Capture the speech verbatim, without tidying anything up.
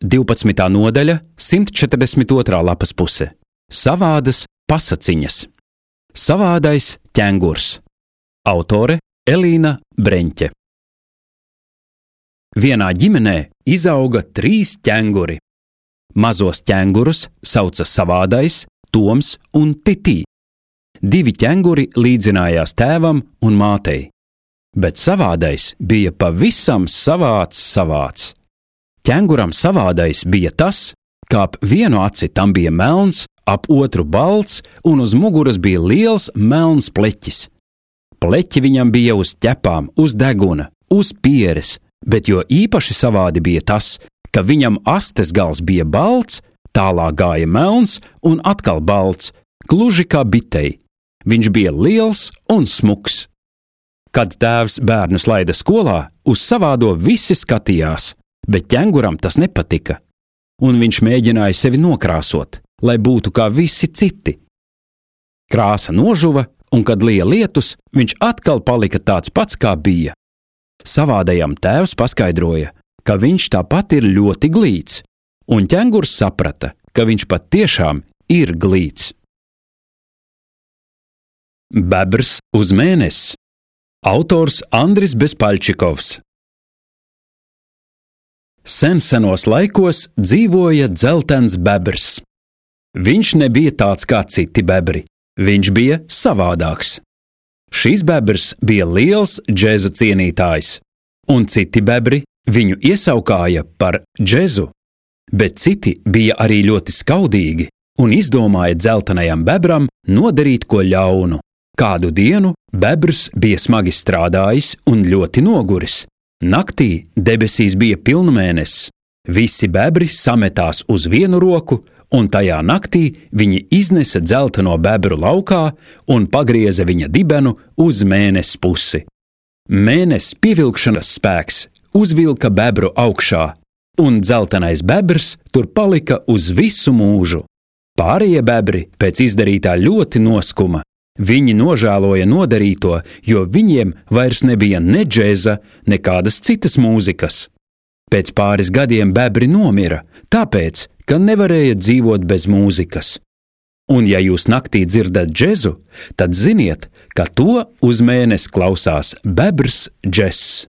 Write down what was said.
divpadsmitā nodaļa, simt četrdesmit otrā lapas puse. Savādas pasaciņas. Savādais ķengurs. Autore Elīna Breņķe. Vienā ģimenē izauga trīs ķenguri. Mazos ķengurus sauca Savādais, Toms un Titī. Divi ķenguri līdzinājās tēvam un mātei, bet Savādais bija pavisam savāds savāds. Ķenguram Savādais bija tas, ka ap vienu aci tam bija melns, ap otru balts un uz muguras bija liels melns pleķis. Pleķi viņam bija uz ķepām, uz deguna, uz pieres, bet jo īpaši savādi bija tas, ka viņam astes gals bija balts, tālāk gāja melns un atkal balts, gluži kā bitei. Viņš bija liels un smuks. Kad tēvs bērnus laida skolā, uz Savādo visi skatījās, bet ķenguram tas nepatika, un viņš mēģināja sevi nokrāsot, lai būtu kā visi citi. Krāsa nožuva, un kad lija lietus, viņš atkal palika tāds pats, kā bija. Savādajam tēvs paskaidroja, ka viņš tāpat ir ļoti glīts, un ķengurs saprata, ka viņš patiešām ir glīts. Bebrs uz mēnesi. Autors Andris Bezpaļčikovs. Sen senos laikos dzīvoja dzeltens bebrs. Viņš nebija tāds kā citi bebri, viņš bija savādāks. Šis bebrs bija liels džeza cienītājs, un citi bebri viņu iesaukāja par džezu, bet citi bija arī ļoti skaudīgi un izdomāja dzeltenajam bebram nodarīt ko ļaunu. Kādu dienu bebrs bija smagi strādājis un ļoti noguris. Naktī debesīs bija pilnmēnesis. Visi bebri sametās uz vienu roku, un tajā naktī viņi iznesa dzelteno bebru laukā un pagrieza viņa dibenu uz mēnesi pusi. Mēnesis pievilkšanas spēks uzvilka bebru augšā, un dzeltenais bebrs tur palika uz visu mūžu. Pārējie bebri pēc izdarītā ļoti noskuma. Viņi nožēloja nodarīto, jo viņiem vairs nebija ne džeza, nekādas citas mūzikas. Pēc pāris gadiem bebri nomira, tāpēc, ka nevarēja dzīvot bez mūzikas. Un ja jūs naktī dzirdat džezu, tad ziniet, ka to uz mēnesi klausās bebrs džess.